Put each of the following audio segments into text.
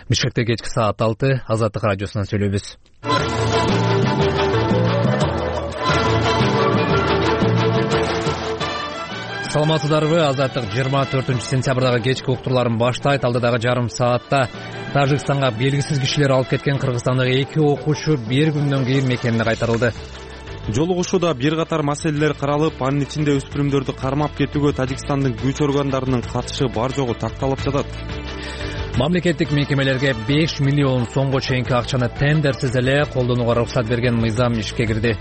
Бишкекте кечки саат 6 Азаттык радиосунан сүйлөйбүз. Саламатсыздарбы? Азаттык 24-сентябрдагы кечки уктурларын баштайт. Алдыдагы жарым саатта Тажикстанга белгисиз кишилер алып кеткен кыргызстандагы 2 окуучу бир күндөн кийин мекенине кайтарылды. Жолугушууда бир катар маселелер каралып, анын ичинде өспүрүмдөрдү кармап кетүүгө Тажикстандын күч органдарынын катышы бар жогу такталып жатат. Мамлекеттик мекемелерге 5 миллион сомго чейинки акчаны тендерсиз эле колдонууга уруксат берген мыйзам ишке кирди.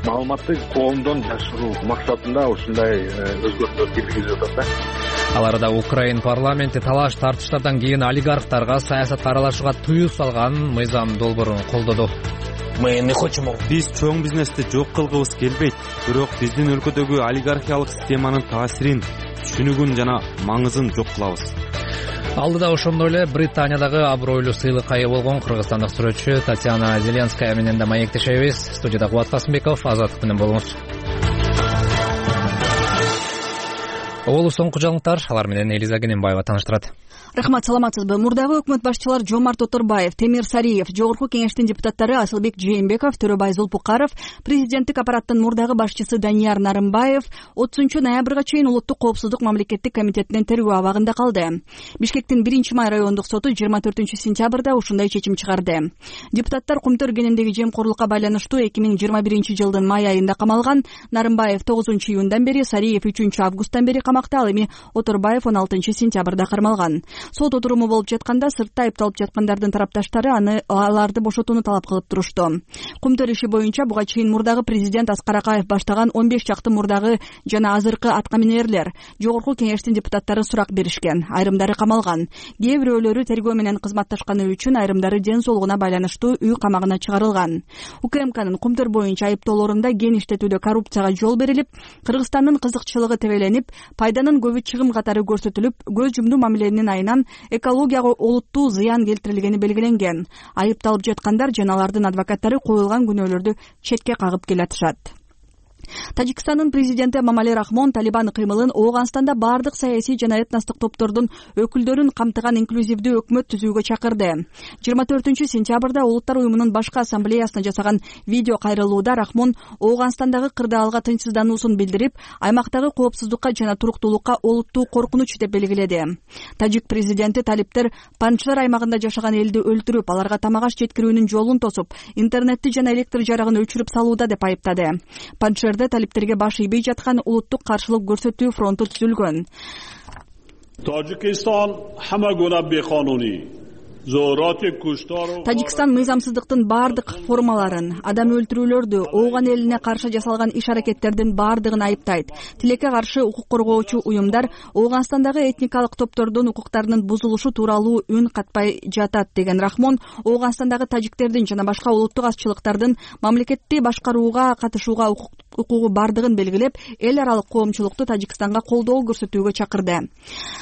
Маалыматты коомдон жашыруу максатында ушундай өзгөртүүлөр киргизип жатат да. Ал арада Украин парламенти талаш тартыштардан кийин олигархтарга саясатка аралашууга тыюу салган мыйзам долбоорун колдоду. Биз чоң бизнести жок кылгыбыз келбейт, бирок биздин өлкөдөгү олигархиялык системанын таасирин, түшүнүгүн жана маңызын жок кылабыз. Алдыда ошондой эле Британиядагы абройлуу сыйлыкка ээ болгон кыргызстандык сүрөтчү Татьяна Зеленская менен да маектешебиз. Студияда Кубат Касымбеков, Азаттык менен болуңуз. Олу соңку жаңылыктар, алар менен Элиза Кененбаева тааныштырат. Рахмат, саламатсызбы? Мурдагы өкмөт башчылар Жомарт Оторбаев, Темир Сариев, Жогорку кеңештин депутаттары Асылбек Жээнбеков, Төрөбай Зулпукаров, президенттик аппараттын мурдагы башчысы Данияр Нарымбаев 30 ноябрга чейин Улуттук коопсуздук мамлекеттик комитетинин тергөө абагында калды. Бишкектин 1-май райондук соту 24-сентябрда ушундай чечим чыгарды. Депутаттар Кумтөр кенендеги жемкорлукка байланыштуу 2021-жылдын май айында камалган. Нарымбаев 9-июндан бери, Сариев 3-августтан бери камакта, ал эми Оторбаев 16-сентябрда кармалган. Сот отуруму болуп жатканда сыртта айыпталып жаткандардын тарапташтары аларды бошотууну талап кылып турушту. Кумтөр иши боюнча буга чейин мурдагы президент Аскар Акаев баштаган 15 чакты мурдагы жана азыркы аткаминерлер, Жогорку кеңештин депутаттары сурак беришкен. Айрымдары камалган. Кээ бирөөлөрү тергөө менен кызматташканы үчүн, айрымдары ден соолугуна байланыштуу үй камагына чыгарылган. УКМКнын Кумтөр боюнча айыптоолорунда кен иштетүүдө коррупцияга жол берилип, Кыргызстандын кызыкчылыгы тебеленип, пайданын көбү чыгым катары көрсөтүлүп, көз жумдуу мамиленин айынан экологияга олуттуу зыян келтирилгени белгиленген. Айыпталып жаткандар жана алардын адвокаттары коюлган күнөөлөрдү четке кагып келатышат. Тажикстандын президенти Эмомали Рахмон Талибан кыймылын Ооганстанда бардык саясий жана этностук топтордун өкүлдөрүн камтыган инклюзивдүү өкмөт түзүүгө чакырды. 24-сентябрда Улуттар уюмунун башкы ассамблеясына жасаган видео кайрылууда Рахмон Ооганстандагы кырдаалга тынчсыздануусун билдирип, аймактагы коопсуздукка жана туруктуулукка олуттуу коркунуч деп белгиледи. Тажик президенти талиптер Панчшер аймагында жашаган элди өлтүрүп, аларга тамак аш жеткирүүнүн жолун тосуп, интернетти жана электр жарыгын өчүрүп салууда деп айыптады. Панчшерде талиптерге баш ийбей жаткан улуттук каршылык көрсөтүү фронту түзүлгөн. Тажикстан мыйзамсыздыктын бардык формаларын, адам өлтүрүүлөрдү, Ооган элине каршы жасалган иш-аракеттердин бардыгын айыптайт. Тилекке каршы укук коргоочу уюмдар Ооганстандагы этникалык топтордун укуктарынын бузулушу тууралуу үн катпай жатат, деген Рахмон Ооганстандагы тажиктердин жана башка улуттук азчылыктардын мамлекетти башкарууга катышууга укугу бардыгын белгилеп, эл аралык коомчулукту Тажикстанга колдоо көрсөтүүгө чакырды.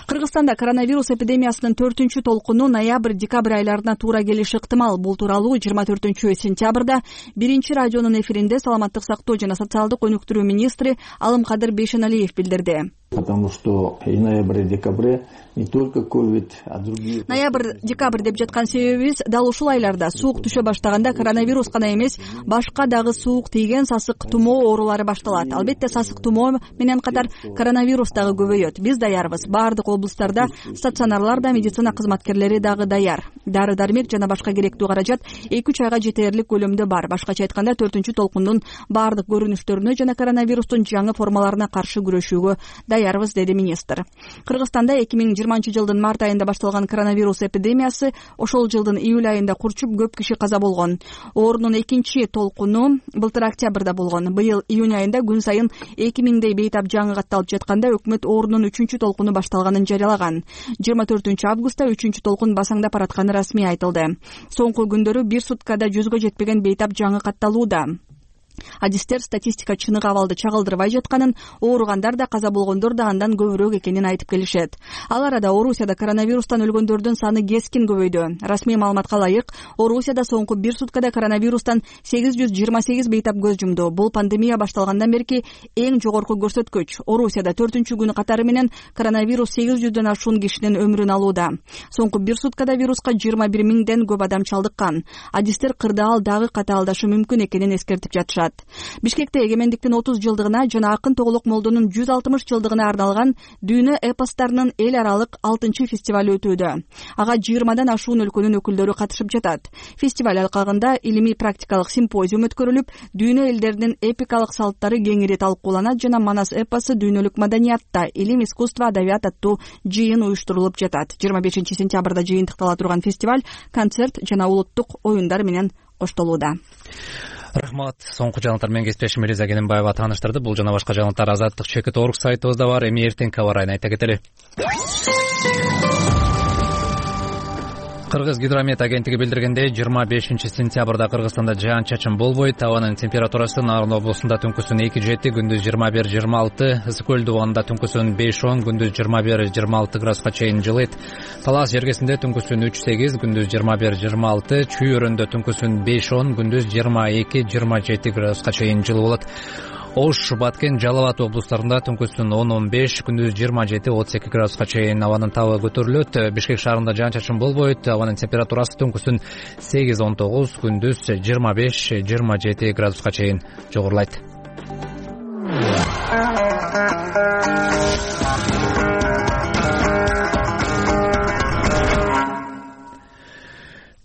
Кыргызстанда коронавирус эпидемиясынын 4-толкуну ноябрь-декабрь айларына туура келиши ыктымал. Бул тууралуу 24-сентябрда 1-радионун эфиринде саламаттык сактоо жана социалдык өнүктүрүү министри Алымкадыр Бейшеналиев билдирди. Потому что и ноябрь-декабрь не только ковид, а другие... Ноябрь-декабрь деп жаткан себебибиз дал ушул айларда суук түшө баштаганда коронавирус гана эмес, башка дагы суук тийген сасык тумоо оорулары башталат. Албетте сасык тумоо менен катар коронавирус дагы көбөйөт. Биз даярбыз. Бардык облустарда стационарларда медицина кызматкерлери дагы даяр. Дары-дармек жана башка керектүү каражат 2-3 айга жетерлик көлөмдө бар. Башкача айтканда 4-толкундун бардык көрүнүштөрүнө жана коронавирустун жаңы формаларына каршы күрөшүүгө даярбыз, деди министр. Кыргызстанда 2020-жылдын март айында башталган коронавирус эпидемиясы ошол жылдын июль айында курчуп көп киши каза болгон. Оорунун 2-толкуну былтыр октябрда болгон. Быйыл июнь айында күн сайын 2000дей бейтап жаңы катталып жатканда өкмөт оорунун 3-толкуну башталганын жарыялаган. 24-августта 3-толкун басаңдап баратканы расмий айтылды. Соңку күндөрү бир суткада 100гө жетпеген бейтап жаңы катталууда. Адистер статистика чыныгы абалды чагылдырбай жатканын, ооругандар да каза болгондор да андан көбүрөөк экенин айтып келишет. Ал арада Орусияда коронавирустан өлгөндөрдүн саны кескин көбөйдү. Расмий маалыматка ылайык, Орусияда соңку 1 суткада коронавирустан 828 бейтап көз жумду. Бул пандемия башталгандан берки эң жогорку көрсөткүч. Орусияда 4-күнү катары менен коронавирус 800дөн ашуун кишинин өмүрүн алууда. Соңку 1 суткада вируска 21 миңден көп адам чалдыккан. Адистер кырдаал дагы катаалдашы мүмкүн экенин эскертип жатышат. Бишкекте эгемендиктин 30 жылдыгына жана Акын Тоглок Молдонун 160 жылдыгына арналган дүйнө эпостарынын эл аралык 6-чы фестиваль өтүүдө. Ага 20дан ашуун өлкөнүн өкүлдөрү катышып жатат. Фестиваль алкагында илимий практикалык симпозиум өткөрүлүп, дүйнө элдеринин эпикалык салттары кеңири талкууланат жана Манас эпосу дүйнөлүк маданиятта, илим, искусство, адабият аттуу жыйын уюштурулуп жатат. 25 сентябрда жыйынтыктала турган фестиваль концерт жана улуттук оюндар менен коштолууда. Рахмат. Соңку жаңылыктар менен кесиптешим Элиза Келенбаева тааныштырды. Бул жана башка жаңылыктар Азаттык.org сайтыбызда бар. Эми эртеңки аба ырайын айта кетели. Кыргыз гидромет агенттиги билдиргендей, 25 сентябрда Кыргызстанда жаан-чачын болбойт. Абанын температурасы Нарын облусунда түнкүсүн 2-7, күндүз 21-26, Ысык көл дубагында түнкүсүн 5-10, күндүз 21-26 градуска чейин жылыйт. Талас жергесинде түнкүсүн 3-8, күндүз 21-26, Чүй өрөндө түнкүсүн 5-10, күндүз 22-27 градуска чейин жылы болот. Ош, Баткен, Жалал Абад облустарында түнкүсүн 10-15, күндүз 27-32 градуска чейин абанын табы көтөрүлөт. Бишкек шаарында жаан-чачын болбойт. Абанын температурасы түнкүсүн 8-19, күндүз 25-27 градуска чейин жогорулайт.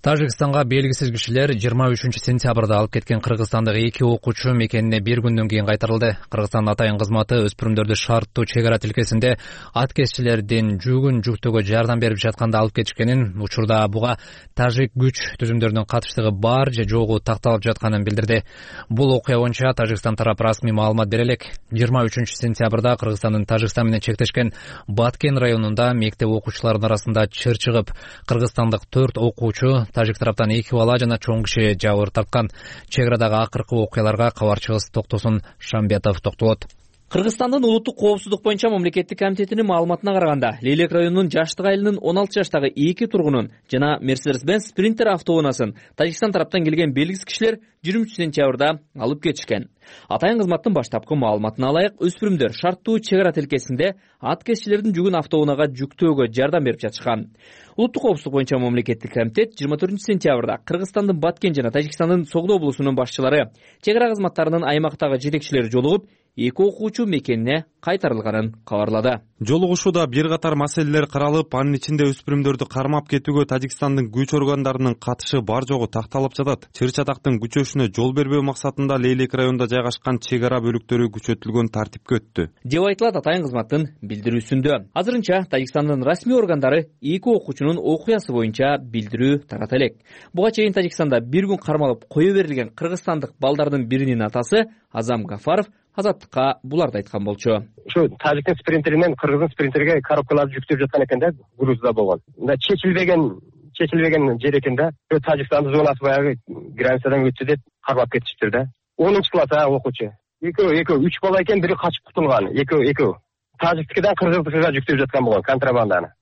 Тажикстанга белгисиз кишилер 23 сентябрда алып кеткен кыргызстандык 2 окуучу мекенине 1 күндөн кийин кайтарылды. Кыргызстан атайын кызматы өспүрүмдөрдү шарттуу чек ара тилкесинде ат кесчилердин жүгүн жүктөөгө жардам берип жатканда алып кетишкенин, учурда буга тажик күч түзүмдөрүнүн катыштыгы бар же жогу такталып жатканын билдирди. Бул окуя боюнча Тажикстан тарап расмий маалымат бере элек. 23 сентябрда Кыргызстандын Тажикстан менен чектешкен Баткен районунда мектеп окуучуларынын арасында чыр чыгып, кыргызстандык 4 окуучу, тажик тараптан 2 бала жана чоң киши жабыр тарткан. Чек арадагы акыркы окуяларга кабарчыбыз Токтосун Шамбетов токтолот. Кыргызстандын улуттук коопсуздук боюнча мамлекеттик комитетинин маалыматына караганда, Лейлек районунун Жаштык айылынын 16 жаштагы 2 тургунун жана Mercedes-Benz Sprinter автоунасын Тажикстан тараптан келген белгисиз кишилер 23 сентябрда алып кетишкен. Атайын кызматтын баштапкы маалыматына ылайык, өспүрүмдөр шарттуу чек ара тилкесинде ат кесчилердин жүгүн автоунага жүктөөгө жардам берип жатышкан. Улуттук коопсуздук боюнча мамлекеттик комитет 24 сентябрда Кыргызстандын Баткен жана Тажикстандын Согдо облусунун башчылары, чек ара кызматтарынын аймактагы жетекчилери жолугуп, 2 окуучу мекенине кайтарылганын кабарлады. Жолугушууда бир катар маселелер каралып, анын ичинде өспүрүмдөрдү кармап кетүүгө Тажикстандын күч органдарынын катышы бар жогу такталып жатат. Чыр чатактын күчөшүнө жол бербөө максатында Лейлек районунда жайгашкан чек ара бөлүктөрү күчөтүлгөн тартипке өттү, деп айтылат атайын кызматтын билдирүүсүндө. Азырынча Тажикстандын расмий органдары 2 окуучунун окуясы боюнча билдирүү тарата элек. Буга чейин Тажикстанда 1 күн кармалып кое берилген кыргызстандык балдардын биринин атасы Азам Гафаров Азаттыкка буларды айткан болчу. Ушу тажиктин спринтеринен кыргыздын спринтерге коробкаларды жүктөп жаткан экен да, грузда болгон. Мында чечилбеген жер экен да. Тажикстандын зонасы баягы границадан өттү деп кармап кетиштир да. 10-чы класс окуучу. Экөө 3 бала экен, бири качып кутулган. Экөө. Тажиктикиден кыргыздыкыга жүктөп жаткан болгон контрабанданы.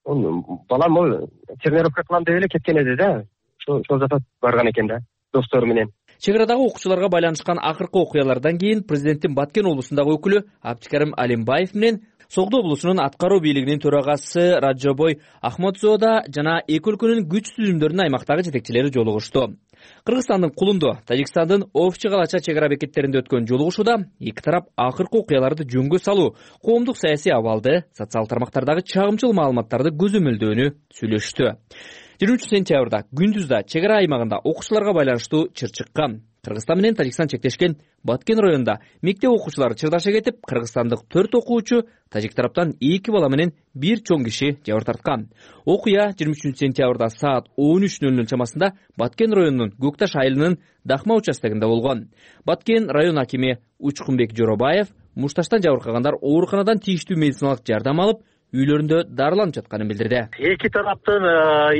Балам тренировка кылам деп эле кеткен эди да. Ошол жакка барган экен да, достору менен. Чек арадагы окуучуларга байланышкан акыркы окуялардан кийин президенттин Баткен облусундагы өкүлү Абдикарим Алимбаев менен Согдо облусунун аткаруу бийлигинин төрагасы Раджабой Ахмадзода жана эки өлкөнүн күч түзүмдөрүнүн аймактагы жетекчилери жолугушту. Кыргызстандын Кулунду, Тажикстандын Овчу Калача чек ара бекеттеринде өткөн жолугушууда эки тарап акыркы окуяларды жөнгө салуу, коомдук саясий абалды, социал тармактардагы чагымчыл маалыматтарды көзөмөлдөөнү сүйлөштү. 23 сентябрда күндүздө чек ара аймагында окуучуларга байланыштуу чыр чыккан. Кыргызстан менен Тажикстан чектешкен Баткен районунда мектеп окуучулары чырдаша кетип, кыргызстандык 4 окуучу, тажик тараптан 2 бала менен 1 чоң киши жабыр тарткан. Окуя 23 сентябрда саат 13:00 чамасында Баткен районунун Көкташ айылынын Дахма участогунда болгон. Баткен район акими Учкунбек Жоробаев мушташтан жабыркагандар ооруканадан тийиштүү медициналык жардам алып, үйлөрүндө дарыланып жатканын билдирди. Эки тараптын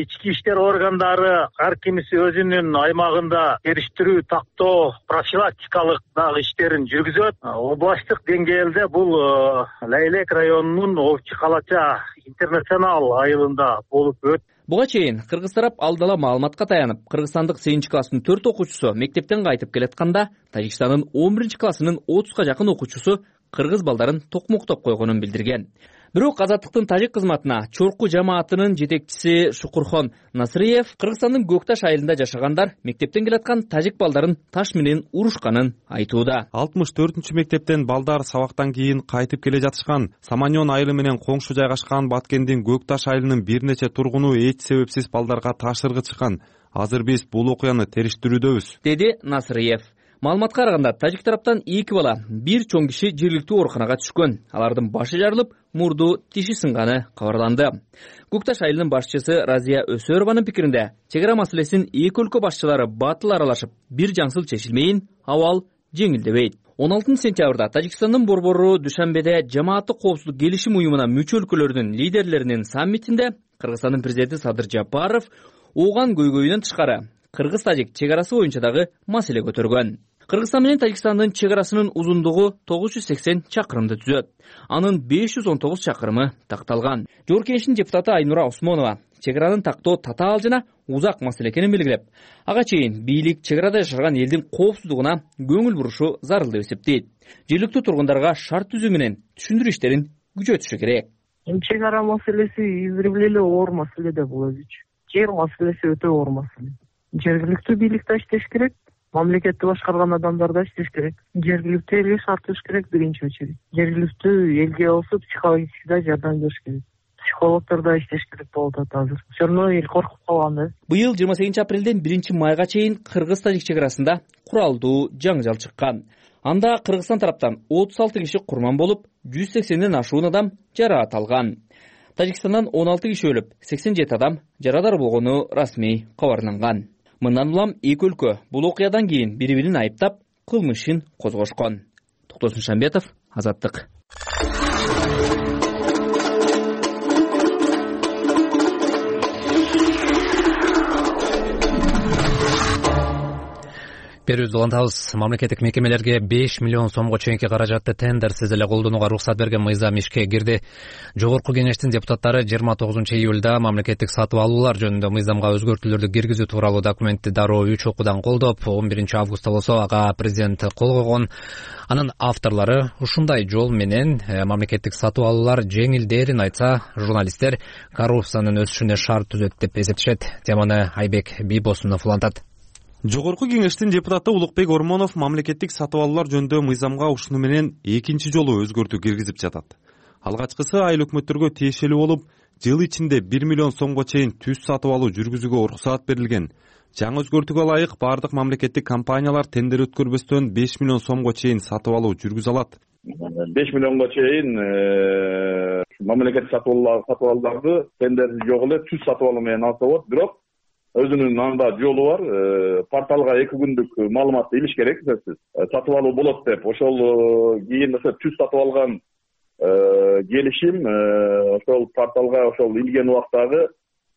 ички иштер органдары ар кимиси өзүнүн аймагында териштирүү, тактоо, профилактикалык дагы иштерин жүргүзөт. Областтык деңгээлде бул Лейлек районунун Овчу Калача интернационал айылында болуп өтүп. Буга чейин кыргыз тарап алдала маалыматка таянып, кыргызстандык 8 класстын 4 окуучусу мектептен кайтып келатканда, Тажикстандын 11 классынын 30га жакын окуучусу кыргыз балдарын токмоктоп койгонун билдирген. Бирок Азаттыктын тажик кызматына Чорку жамаатынын жетекчиси Шукурхон Насыриев Кыргызстандын Көкташ айылында жашагандар мектептен келаткан тажик балдарын таш менен урушканын айтууда. 64 мектептен балдар сабактан кийин кайтып келе жатышкан. Саманьон айылы менен коңшу жайгашкан Баткендин Көкташ айылынын бир нече тургуну эч себепсиз балдарга таш ыргытышкан. Азыр биз бул окуяны териштирүүдөбүз, деди Насыриев. Маалыматка караганда, тажик тараптан 2 бала, 1 чоң киши жергиликтүү ооруканага түшкөн. Алардын башы жарылып, мурду, тиши сынганы кабарланды. Көкташ айылынын башчысы Разия Өсөрованын пикиринде, чегара маселесин эки өлкө башчылары батыл аралашып, бир жаңсыл чечилмейин, абал жеңилдебейт. 16 сентябрда Тажикстандын борбору Душанбеде жамааттык коопсуздук келишим уюмуна мүчө өлкөлөрдүн лидерлеринин саммитинде Кыргызстандын президенти Садыр Жапаров ооган көйгөйүнөн тышкары кыргыз-тажик чегарасы боюнча дагы маселе көтөргөн. Кыргызстан менен Тажикстандын чегарасынын узундугу 980 чакырымды түзөт. Анын 519 чакырымы такталган. Жогорку Кеңештин депутаты Айнура Осмонова чегаранын тактоо татаал жана узак маселе экенин белгилеп, ага чейин бийлик чегарада жашаган элдин коопсуздугуна көңүл бурушу зарыл деп эсептейт. Жергиликтүү тургундарга шарт түзүү менен түшүндүрүү иштерин күчөтүшү керек. Чегара маселеси издревле эле оор маселе да бул өзүчө. Жер маселеси өтө оор маселе. Жергиликтүү бийлик да иштеш керек, мамлекетти башкарган адамдар да иштеш керек. Жергиликтүү элге шарт түзүш керек биринчи очередь. Жергиликтүү элге болсо психологически да жардам бериш керек. Психологдор да иштеш керек болуп атат азыр. Все равно эл коркуп калган да. Быйыл 28 апрелден 1 майга чейин кыргыз-тажик чегарасында куралдуу жаңжал чыккан. Анда Кыргызстан тараптан 36 киши курман болуп, 180ден ашуун адам жараат алган. Тажикстандан 16 киши өлүп, 87 адам жарадар болгону расмий кабарланган. Мындан улам эки өлкө бул окуядан кийин бири-бирин айыптап, кылмыш ишин козгошкон. Токтосун Шамбетов, Азаттык. Берүүбүздү улантабыз. Мамлекеттик мекемелерге 5 миллион сомго чейинки каражатты тендерсиз эле колдонууга уруксат берген мыйзам ишке кирди. Жогорку Кеңештин депутаттары 29 июлда мамлекеттик сатып алуулар жөнүндө мыйзамга өзгөртүүлөрдү киргизүү тууралуу документти дароо 3 окуудан колдоп, 11 августта болсо ага президент кол койгон. Анын авторлору ушундай жол менен мамлекеттик сатып алуулар жеңилдээрин айтса, журналисттер коррупциянын өсүшүнө шарт түзөт деп эсептешет. Теманы Айбек Бийбосунов улантат. Жогорку Кеңештин депутаты Улукбек Ормонов мамлекеттик сатып алуулар жөнүндө мыйзамга ушуну менен экинчи жолу өзгөртүү киргизип жатат. Алгачкысы айыл өкмөттөргө тиешелүү болуп, жыл ичинде 1 миллион сомго чейин түз сатып алуу жүргүзүүгө уруксаат берилген. Жаңы өзгөртүүгө ылайык бардык мамлекеттик компаниялар тендер өткөрбөстөн 5 миллион сомго чейин сатып алуу жүргүзө алат. 5 миллионго чейин мамлекеттик сатып алууларды тендерси жок эле түз сатып алуу менен алса болот. Бирок өзүнүн анда жолу бар. Порталга 2 күндүк маалыматты илиш керек. Сатып алуу болот деп. Ошол кийин түз сатып алган келишим ошол порталга ошол илген убактагы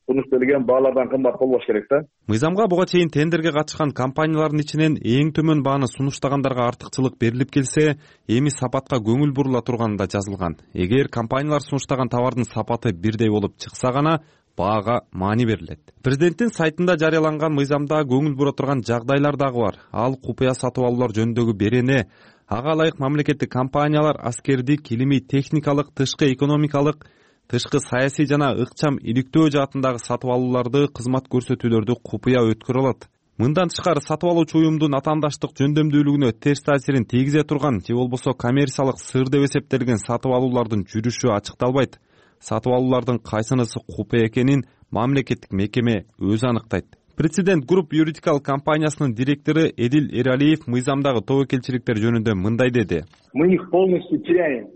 сунушталган баалардан кымбат болбош керек да. Мыйзамга буга чейин тендерге катышкан компаниялардын ичинен эң төмөн бааны сунуштагандарга артыкчылык берилип келсе, эми сапатка көңүл бурула турганы да жазылган. Эгер компаниялар сунуштаган товардын сапаты бирдей болуп чыкса гана баага маани берилет. Президенттин сайтында жарыяланган мыйзамда көңүл бура турган жагдайлар дагы бар. Ал купуя сатып алуулар жөнүндөгү берене, ага ылайык мамлекеттик компаниялар аскердик, илимий техникалык, тышкы экономикалык, тышкы саясий жана ыкчам иликтөө жаатындагы сатып алууларды, кызмат көрсөтүүлөрдү купуя өткөрө алат. Мындан тышкары сатып алуучу уюмдун атаандаштык жөндөмдүүлүгүнө терс таасирин тийгизе турган же болбосо коммерциялык сыр деп эсептелген сатып алуулардын жүрүшү ачыкталбайт. Сатып алуулардын кайсынысы купуя экенин мамлекеттик мекеме өзү аныктайт. Президент Групп юридикал компаниясынын директору Эдил Эралиев мыйзамдагы тобокелчиликтер жөнүндө мындай деди. Мы их полностью теряем.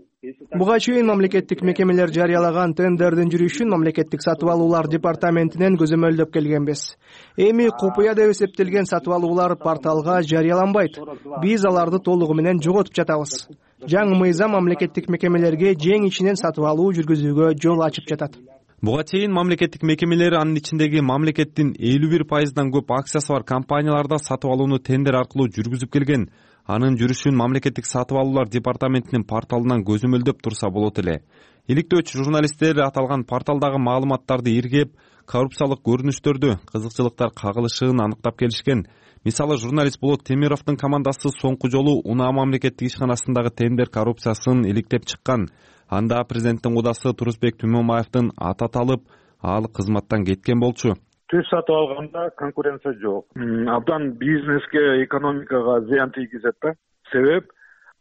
Буга чейин мамлекеттик мекемелер жарыялаган тендердин жүрүшүн мамлекеттик сатып алуулар департаментинен көзөмөлдөп келгенбиз. Эми купуя деп эсептелген сатып алуулар порталга жарыяланбайт. Биз аларды толугу менен жоготуп жатабыз. жаңы мыйзам мамлекеттик мекемелерге жең ичинен сатып алуу жүргүзүүгө жол ачып жатат. Буга чейин мамлекеттик мекемелер, анын ичиндеги мамлекеттин 51%дан көп акциясы бар компанияларда сатып алууну тендер аркылуу жүргүзүп келген. Анын жүрүшүн мамлекеттик сатып алуулар департаментинин порталынан көзөмөлдөп турса болот эле. Иликтөөчү журналисттер аталган порталдагы маалыматтарды иргеп, коррупциялык көрүнүштөрдү, кызыкчылыктар кагылышын аныктап келишкен. Мисалы, журналист Болот Темировдун командасы соңку жолу Унаа мамлекеттик ишканасындагы тендер коррупциясын иликтеп чыккан. Анда президенттин кудасы Турусбек Түмөнбаевдин аты аталып, ал кызматтан кеткен болчу. Түз сатып алганда конкуренция жок. Абдан бизнеске, экономикага зыян тийгизет да. Себеп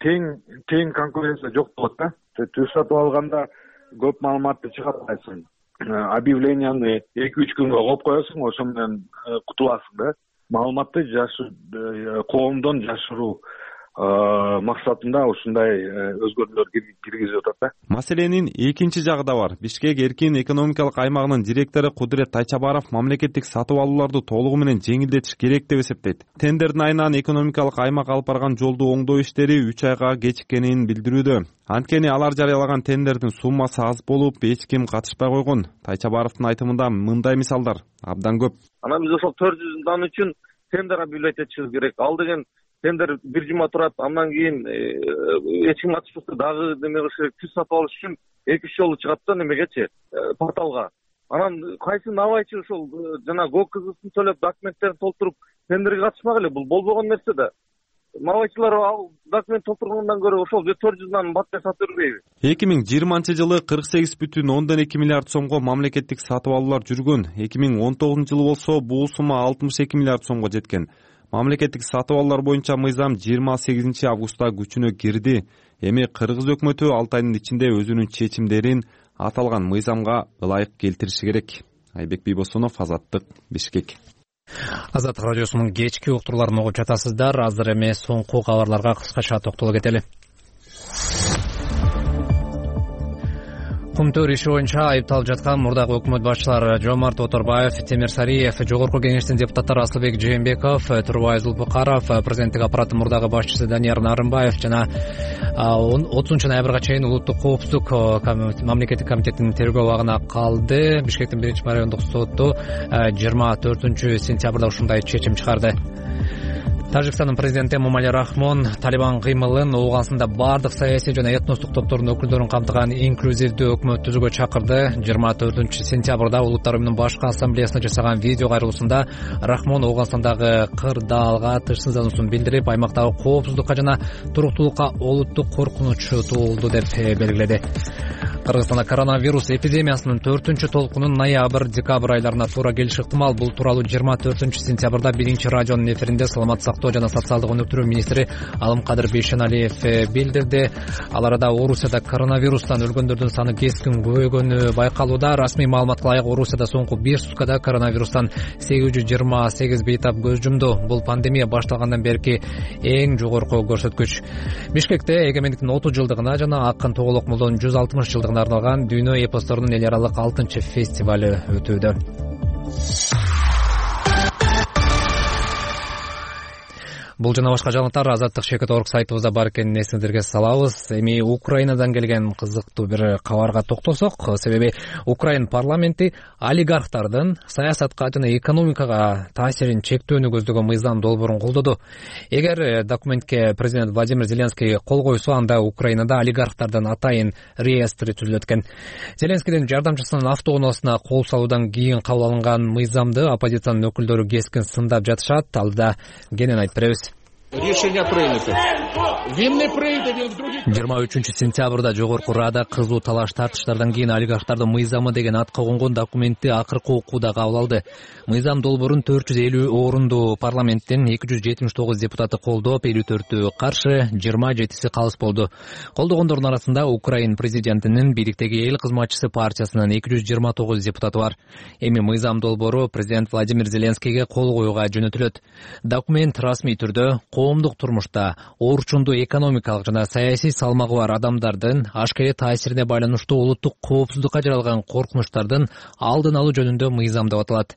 тең конкуренция жок болот да. Түз сатып алганда көп маалыматты чыгарбайсың. Объявленияны 2-3 күнгө коюп коесуң, ошо менен кутуласың да. Маалыматты коомдон жашыруу максатында ушундай өзгөрүүлөр киргизип атат да. Маселенин экинчи жагы да бар. Бишкек эркин экономикалык аймагынын директору Кудурет Тайчабаров мамлекеттик сатып алууларды толугу менен жеңилдетиш керек деп эсептейт. Тендердин айынан экономикалык аймак алып барган жолду оңдоо иштери 3 айга кечиккенин билдирүүдө. Анткени алар жарыялаган тендердин суммасы аз болуп, эч ким катышпай койгон. Тайчабаровдун айтымында мындай мисалдар абдан көп. Анан биз ошол 400 дан үчүн тендер объявлять этишибиз керек. Ал деген тендер бир жума турат, андан кийин эч ким катышпаса дагы неме кылыш керек. Түз сатып алыш үчүн 2-3 жолу чыгат да немегечи, порталга. Анан кайсы набайчы ошол жана ГОКызын төлөп документтерин толтуруп тендерге катышмак эле. Бул болбогон нерсе да. Набайчылар ал документ толтургандан көрө ошол 400дан баттар сатып бербейби? 2020-жылы 48,2 миллиард сомго мамлекеттик сатып алуулар жүргөн. 2019-жылы болсо бул сумма 62 миллиард сомго жеткен. Мамлекеттик сатып алуулар боюнча мыйзам 28 августта күчүнө кирди. Эми Кыргыз өкмөтү 6 айдын ичинде өзүнүн чечимдерин аталган мыйзамга ылайык келтириши керек. Айбек Бийбосунов, Азаттык, Бишкек. Азаттык радиосунун кечки уктурларын угуп жатасыздар. Азыр эми соңку кабарларга кыскача токтоло кетели. Кумтөр иши боюнча айыпталып жаткан мурдагы өкмөт башчылары Жомарт Оторбаев, Темир Сариев, Жогорку Кеңештин депутаттары Асылбек Жээнбеков, Турубай Зулпукаров, президенттик аппараттын мурдагы башчысы Данияр Нарымбаев жана 30 ноябрга чейин улуттук коопсуздук мамлекеттик комитетинин тергөө абагына калды. Бишкектин 1-райондук соту 24-сентябрда ушундай чечим чыгарды. Тажикстандын президенти Эмомали Рахмон Талибан кыймылын Ооганстанда бардык саясий жана этностук топтордун өкүлдөрүн камтыган инклюзивдүү өкмөт түзүүгө чакырды. 24-сентябрда Улуттар уюмунун башкы ассамблеясына жасаган видео кайрылуусунда Рахмон Ооганстандагы кырдаалга тынчсыздануусун билдирип, аймактагы коопсуздукка жана туруктуулукка олуттук коркунуч туулду деп белгиледи. Кыргызстанда коронавирус эпидемиясынын 4-чү толкунун ноябрь-декабрь айларына туура келиши ыктымал. Бул тууралуу 24-сентябрда 1-радионун эфиринде саламаттык сактоо жана социалдык өнүктүрүү министри Алымкадыр Бейшеналиев билдирди. Ал арада Орусияда коронавирустан өлгөндөрдүн саны кескин көбөйгөнү байкалууда. Расмий маалыматка ылайык Орусияда соңку 1 суткада коронавирустан 828 бейтап көз жумду. Бул пандемия башталгандан берки эң жогорку көрсөткүч. Бишкекте эгемендиктин 30 жылдыгына жана Акын Тоголок Молдонун 160 жылдыгына арналган дүйнө эпосторунун эл аралык 6-фестивалы өтүүдө. Бул жана башка жаңылыктар Азаттык Шекет.орг сайтыбызда бар экенин эсиңиздерге салабыз. Эми Украинадан келген кызыктуу бир кабарга токтосок, себеби Украин парламенти олигархтардын саясатка жана экономикага таасирин чектөөнү көздөгөн мыйзам долбоорун колдоду. Эгер документке президент Владимир Зеленский кол койсо, анда Украинада олигархтардын атайын реестри түзүлөт экен. Зеленскийдин жардамчысынын автоунаасына кол салуудан кийин кабыл алынган мыйзамды оппозициянын өкүлдөрү кескин сындап жатышат. Алда кенен айтып беребиз. Решение принято. 23-сентябрда Жогорку Рада кызуу талаш тартыштардан кийин олигархтардын мыйзамы деген атка конгон документти акыркы окууда кабыл алды. Мыйзам долбоорун 450 орунду парламенттин 279 депутаты колдоп, 54-ü каршы, 27-си калыс болду. Колдогондордун арасында Украин президентинин бийликтеги эл кызматчысы партиясынын 229 депутаты бар. Эми мыйзам долбоору президент Владимир Зеленскийге кол коюуга жөнөтүлөт. Документ расмий түрдө коомдук турмушта орчундуу экономикалык жана саясий салмагы бар адамдардын ашкерий таасирине байланыштуу улуттук коопсуздукка жаралган коркунучтардын алдын алуу жөнүндө мыйзам деп аталат.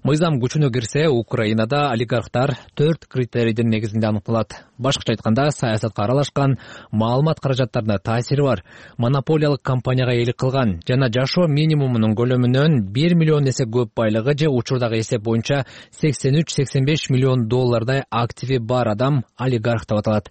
Мыйзам күчүнө кирсе, Украинада олигархтар 4 критерийдин негизинде аныкталат. Башкача айтканда, саясатка аралашкан, маалымат каражаттарына таасири бар, монополиялык компанияга ээлик кылган жана жашоо минимумунун көлөмүнөн 1 миллион эсе көп байлыгы же учурдагы эсеп боюнча 83-85 миллион доллардай активи бар адам олигарх деп аталат.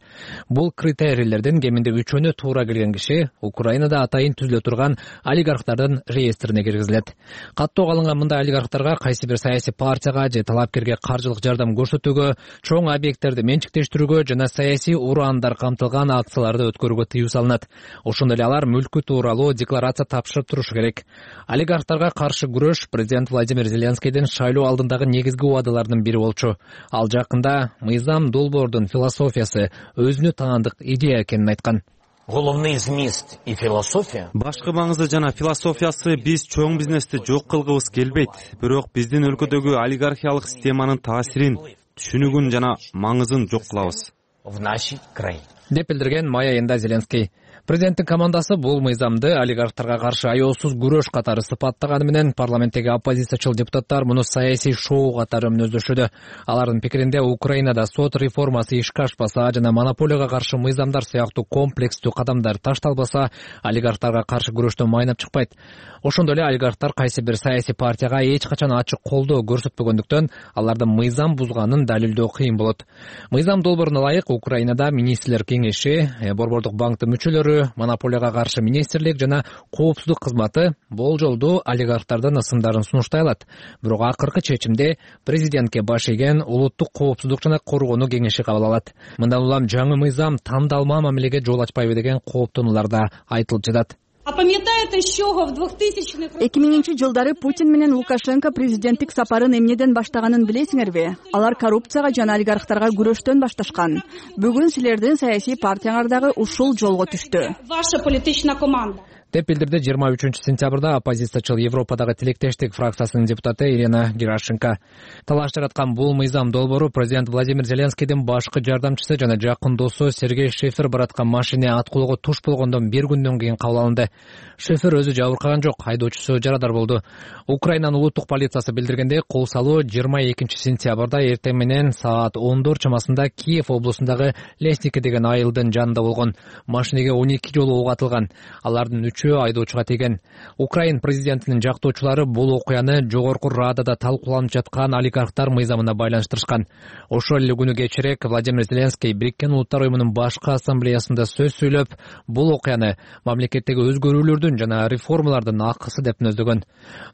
Бул критерийлердин кеминде 3-өнө туура келген киши Украинада атайын түзүлө турган олигархтардын реестрине киргизилет. Каттоого алынган мындай олигархтарга кайсы бир саясий партияга же талапкерге каржылык жардам көрсөтүүгө, чоң объекттерди менчиктештирүүгө жана саясий ураандар камтылган акцияларды өткөрүүгө тыюу салынат. Ошондой эле алар мүлкү тууралуу декларация тапшырып турушу керек. Олигархтарга каршы күрөш президент Владимир Зеленскийдин шайлоо алдындагы негизги убадаларынын бири болчу. Ал жакында мыйзам долбоордун философиясы өзүнө таандык идея экенин айткан. Головной змист и философия. Башкы маңызды жана философиясы биз чоң бизнести жок кылгыбыз келбейт. Бирок биздин өлкөдөгү олигархиялык системанын таасирин, түшүнүгүн жана маңызын жок кылабыз в нашей краине, деп билдирген май айында Зеленский. Президенттин командасы бул мыйзамды олигархтарга каршы аяосуз күрөш катары сыпаттаганы менен парламенттеги оппозициячыл депутаттар муну саясий шоу катары мүнөздөшүүдө. Алардын пикиринде Украинада сот реформасы ишке ашпаса жана монополияга каршы мыйзамдар сыяктуу комплекстүү кадамдар ташталбаса, олигархтарга каршы күрөштөн майнап чыкпайт. Ошондой эле олигархтар кайсы бир саясий партияга эч качан ачык колдоо көрсөтпөгөндүктөн алардын мыйзам бузганын далилдөө кыйын болот. Мыйзам долбооруна ылайык Украинада министрлер кеңеши, борбордук банктын мүчөлөрү, монополияга каршы министрлик жана коопсуздук кызматы болжолдуу олигархтардын ысымдарын сунуштай алат. Бирок акыркы чечимди президентке баш ийген улуттук коопсуздук жана коргонуу кеңеши кабыл алат. Мындан улам жаңы мыйзам тандалма мамилеге жол ачпайбы деген кооптонуулар да айтылып жатат. 2000 жылдары Путин менен Лукашенко президенттик сапарын эмнеден баштаганын билесиңерби? Алар коррупцияга жана олигархтарга күрөштөн башташкан. Бүгүн силердин саясий партияңар дагы ушул жолго түштү. Ваша политичная команда деп билдирди 23-сентябрда оппозициячыл Европадагы Тилектештик фракциясынын депутаты Ирина Герашенко. Талаш жараткан бул мыйзам долбоору президент Владимир Зеленскийдин башкы жардамчысы жана жакын досу Сергей Шефер бараткан машина аткылоого туш болгондон 1 күндөн кийин кабыл алынды. Шефер өзү жабыркаган жок, айдоочусу жарадар болду. Украинанын улуттук полициясы билдиргендей, кол салуу 22-сентябрда эртең менен саат 10 чамасында Киев облусундагы Лесники деген айылдын жанында болгон. Машинеге 12 жолу ок атылган. Алардын айдоочуга тийген. Украин президентинин жактоочулары бул окуяны жогорку радада талкууланып жаткан олигархтар мыйзамына байланыштырышкан. Ошол эле күнү кечирээк Владимир Зеленский Бириккен Улуттар уюмунун башкы ассамблеясында сөз сүйлөп, бул окуяны мамлекеттеги өзгөрүүлөрдүн жана реформалардын акысы деп мүнөздөгөн.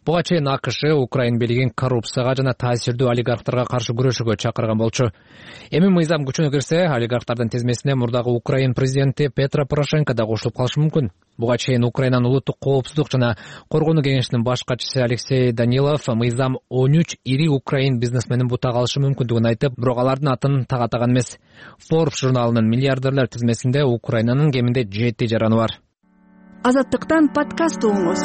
Буга чейин АКШ Украин бийлигин коррупцияга жана таасирдүү олигархтарга каршы күрөшүүгө чакырган болчу. Эми мыйзам күчүнө кирсе, олигархтардын тизмесине мурдагы Украин президенти Петро Порошенко да кошулуп калышы мүмкүн. Буга чейин Украинанын улуттук коопсуздук жана коргонуу кеңешинин баш катчысы Алексей Данилов мыйзам 13 ири Украин бизнесменин бутак алышы мүмкүндүгүн айтып, бирок алардын атын тагатаган эмес. Forbes журналынын миллиардерлер тизмесинде Украинанын кеминде 7 жараны бар. Азаттыктан подкаст угуңуз.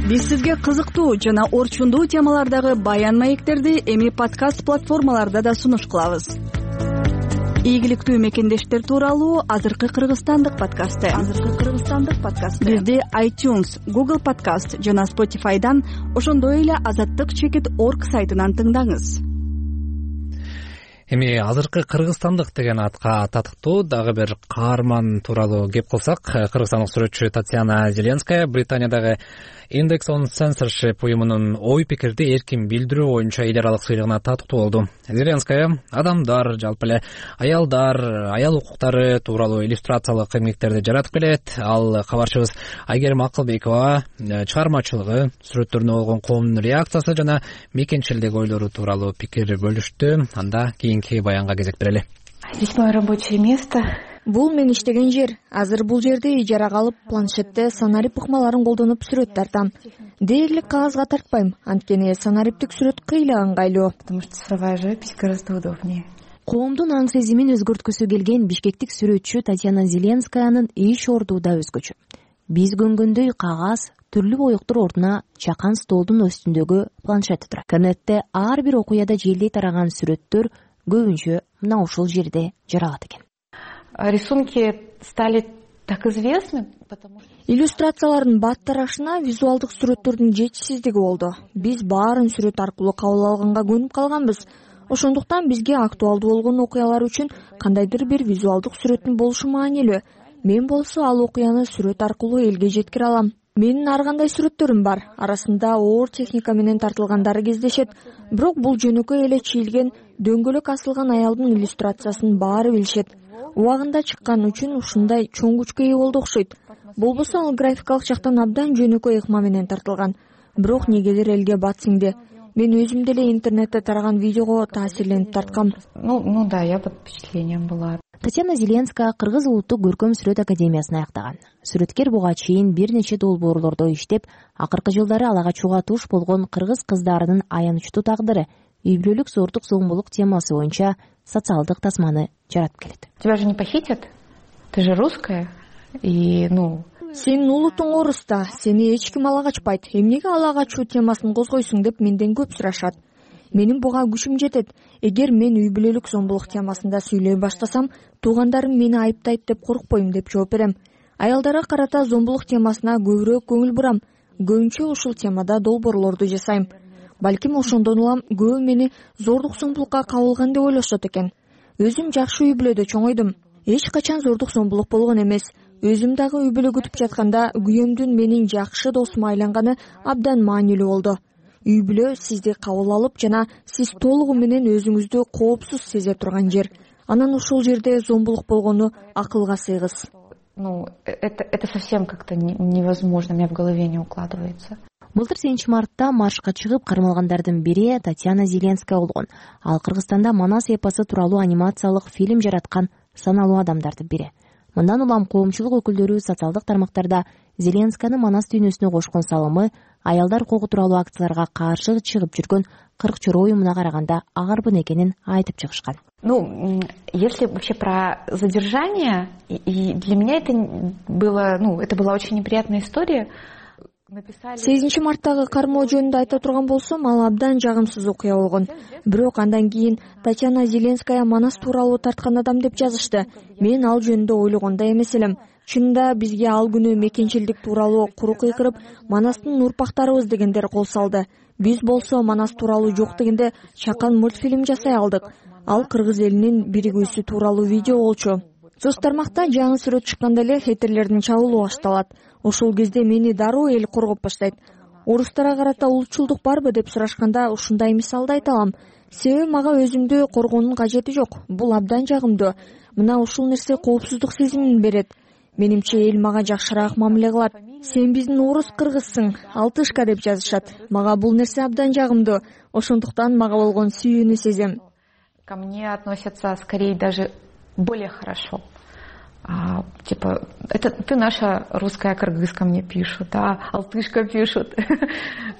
Биз сизге кызыктуу жана орчундуу темалардагы баян маектерди эми подкаст платформаларда да сунуш кылабыз. Ийгиликтүү мекендештер тууралуу азыркы кыргызстандык подкасты. Бизди iTunes, Google Podcast жана Spotify'дан, ошондой эле azattik.org сайтынан тыңдаңыз. Эми азыркы кыргызстандык деген атка татыктуу дагы бир каарман тууралуу кеп кылсак, кыргызстандык сүрөтчү Татьяна Зеленская Британиядагы Index on Censorship уюмунун ой пикирди эркин билдирүү боюнча эл аралык сыйлыгына татыктуу болду. Зеленская адамдар, жалпы эле аялдар, аял укуктары тууралуу иллюстрациялык эмгектерди жаратып келет. Ал кабарчыбыз Айгерим Акылбекова чыгармачылыгы, сүрөттөрүнө болгон коомдун реакциясы жана мекенчилдеги ойлору тууралуу пикир бөлүштү. Анда кийинки баянга кезек берели. Здесь мое рабочее место. Бул мен иштеген жер. Азыр бул жерде ижарага алып, планшетте санарип ыкмаларын колдонуп сүрөт тартам. Дээрлик кагазга тартпайм, анткени санариптик сүрөт кыйла ыңгайлуу. Потому что цифровая живопись гораздо удобнее. Коомдун аң сезимин өзгөрткүсү келген бишкектик сүрөтчү Татьяна Зеленскаянын иш ордуу да өзгөчө. Биз көнгөндөй кагаз, түрлүү боёктор ордуна чакан столдун үстүндөгү планшети турат. Интернетте ар бир окуяда желдей тараган сүрөттөр көбүнчө мына ушул жерде жаралат экен. Рисунки стали так известны, потому что иллюстрациялардын баттарашына визуалдык сүрөттөрдүн жетишсиздиги болду. Биз баарын сүрөт аркылуу кабыл алганга көнүп калганбыз. Ошондуктан бизге актуалдуу болгон окуялар үчүн кандайдыр бир визуалдык сүрөттүн болушу маанилүү. Мен болсо ал окуяны сүрөт аркылуу элге жеткире алам. Менин ар кандай сүрөттөрүм бар. Арасында оор техника менен тартылгандары кездешет. Бирок бул жөнөкөй эле чийилген дөңгөлөк асылган аялдын иллюстрациясын баары билишет. Убагында чыккан үчүн ушундай чоң күчкө ээ болду окшойт. Болбосо ал графикалык жактан абдан жөнөкөй ыкма менен тартылган. Бирок негедир элге бат сиңди. Мен өзүм деле интернетте тараган видеого таасирленип тарткам. Ну да, я под впечатлением была. Татьяна Зеленская Кыргыз улуттук көркөм сүрөт академиясын аяктаган. Сүрөткер буга чейин бир нече долбоорлордо иштеп, акыркы жылдары ала качууга туш болгон кыргыз кыздарынын аянычтуу тагдыры, үй бүлөлүк зордук зомбулук темасы боюнча социалдык тасманы жаратып келет. Тебя же не похитят? Ты же русская. И, Сенин улутуң оруста, сени эч ким ала качпайт. Эмнеге ала качуу темасын козгойсуң деп менден көп сурашат. Менин буга күчүм жетет. Эгер мен үй бүлөлүк зомбулук темасында сүйлөй баштасам, туугандарым мени айыптайт деп коркпойм деп жооп берем. Аялдарга карата зомбулук темасына көбүрөөк көңүл бурам. Көбүнчө ушул темада долбоорлорду жасайм. Балким ошондон улам көбү мени зордук зомбулукка кабылган деп ойлошот экен. Өзүм жакшы үй бүлөдө чоңойдум. Эч качан зордук зомбулук болгон эмес. Өзүм дагы үй бүлө күтүп жатканда күйөөмдүн менин жакшы досума айланганы абдан маанилүү болду. Үй бүлө сизди кабыл алып жана сиз толугу менен өзүңүздү коопсуз сезе турган жер. Анан ушул жерде зомбулук болгону акылга сыйгыз. Это совсем как-то невозможно, у меня в голове не укладывается. Былтыр 7-мартта маршка чыгып кармалгандардын бири Татьяна Зеленская болгон. Ал Кыргызстанда Манас эпосу тууралуу анимациялык фильм жараткан саналуу адамдардын бири. Мындан улам коомчулук өкүлдөрү социалдык тармактарда Зеленскаяны Манас дүйнөсүнө кошкон салымы аялдар укугу тууралуу акцияларга каршы чыгып жүргөн 40 чора уюмуна караганда агарбын экенин айтып чыгышкан. Если вообще про задержание, и для меня это была очень неприятная история. 8-марттагы кармоо жөнүндө айта турган болсом, ал абдан жагымсыз окуя болгон. Бирок андан кийин Татьяна Зеленская Манас тууралуу тарткан адам деп жазышты. Мен ал жөнүндө ойлогондой эмес элем. Чынында бизге ал күнү мекенчилдик тууралуу куру кыйкырып, Манастын урпактарыбыз дегендер кол салды. Биз болсо Манас тууралуу жок дегенде чакан мультфильм жасай алдык. Ал кыргыз элинин биригүүсү тууралуу видео болчу. Соц тармакта жаңы сүрөт чыкканда эле хейтерлердин чабуулу башталат. Ошол кезде мени дароо эл коргоп баштайт. Орустарга карата улутчулдук барбы деп сурашканда ушундай мисалды айта алам. Себеби мага өзүмдү коргоонун кажети жок. Бул абдан жагымдуу. Мына ушул нерсе коопсуздук сезимин берет. Менимче эл мага жакшыраак мамиле кылат. Сен биздин орус кыргызсың, алтышка деп жазышат. Мага бул нерсе абдан жагымдуу. Ошондуктан мага болгон сүйүүнү сезем. Ко мне относятся скорее даже более хорошо. Типа, это ты наша русская кыргызка, мне пишут, алтышка пишут.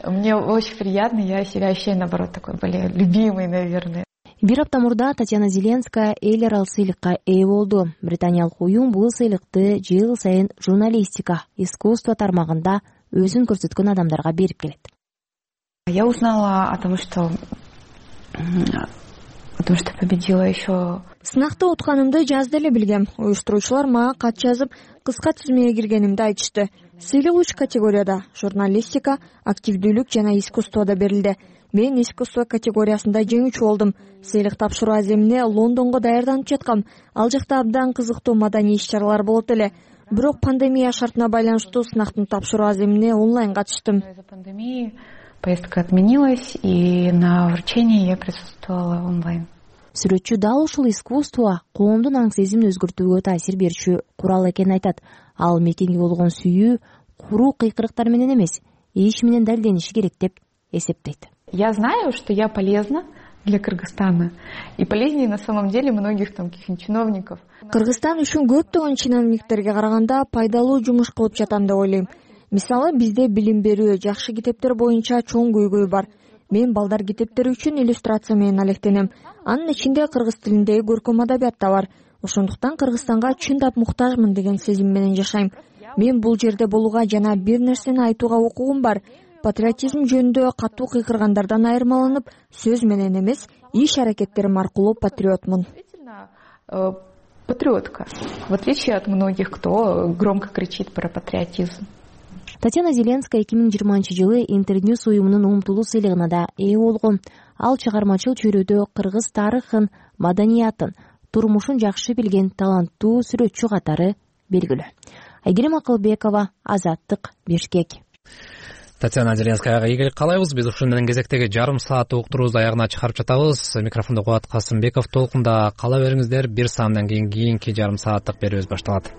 Мне очень приятно, я себя ощущаю, наоборот, такой более любимой, наверное. Бир апта мурда Татьяна Зеленская эл аралык сыйлыкка ээ болду. Британиялык уюм бул сыйлыкты жыл сайын журналистика, искусство тармагында өзүн көрсөткөн адамдарга берип келет. Я узнала о том, что победила еще. Сынакта утканымды жазды эле билгем. Уюштуруучулар мага кат жазып, кыска тизмеге киргенимди айтышты. Сыйлык 3 категорияда: журналистика, активдүүлүк жана искусствода берилди. Мен искусство категориясында жеңүүчү болдум. Сыйлык тапшыруу аземине Лондонго даярданып жаткам. Ал жакта абдан кызыктуу маданий иш-чаралар болот эле. Бирок пандемия шартына байланыштуу сынактын тапшыруу аземине онлайн катыштым. Поездка отменилась, и на вручении я присутствовала онлайн. Сүрөтчү дал ушул искусство коомдун аң сезимин өзгөртүүгө таасир берүүчү курал экенин айтат. Ал мекенге болгон сүйүү куру кыйкырыктар менен эмес, иш менен далдениши керек деп эсептейт. Я знаю, что я полезна для Кыргызстана. И полезнее на самом деле многих там каких-нибудь чиновников. Кыргызстан үчүн көптөгөн чиновниктерге караганда пайдалуу жумуш кылып жатам деп ойлойм. Мисалы, бизде билим берүү, жакшы китептер боюнча чоң көйгөй бар. Мен балдар китептери үчүн иллюстрация менен алектенем. Анын ичинде кыргыз тилиндеги көркөм адабият да бар. Ошондуктан Кыргызстанга чындап муктажмын деген сезим менен жашайм. Мен бул жерде болууга жана бир нерсени айтууга укугум бар. Патриотизм жөнүндө катуу кыйкыргандардан айырмаланып, сөз менен эмес, иш аракеттерим аркылуу патриотмун. патриотка, в отличие от многих, кто громко кричит про патриотизм. Татьяна Зеленская 2020-жылы Интерньюс уюмунун умтулуу сыйлыгына да ээ болгон. Ал чыгармачыл чөйрөдө кыргыз тарыхын, маданиятын, турмушун жакшы билген таланттуу сүрөтчү катары белгилүү. Айгерим Акылбекова, Азаттык, Бишкек. Татьяна Зеленскаяга ийгилик каалайбыз. Биз ушун менен кезектеги жарым саат уктуруубузду аягына чыгарып жатабыз. Микрофондо Кубат Касымбеков. Толкунда кала бериңиздер. Бир саамдан кийинки жарым сааттык берүүбүз башталат.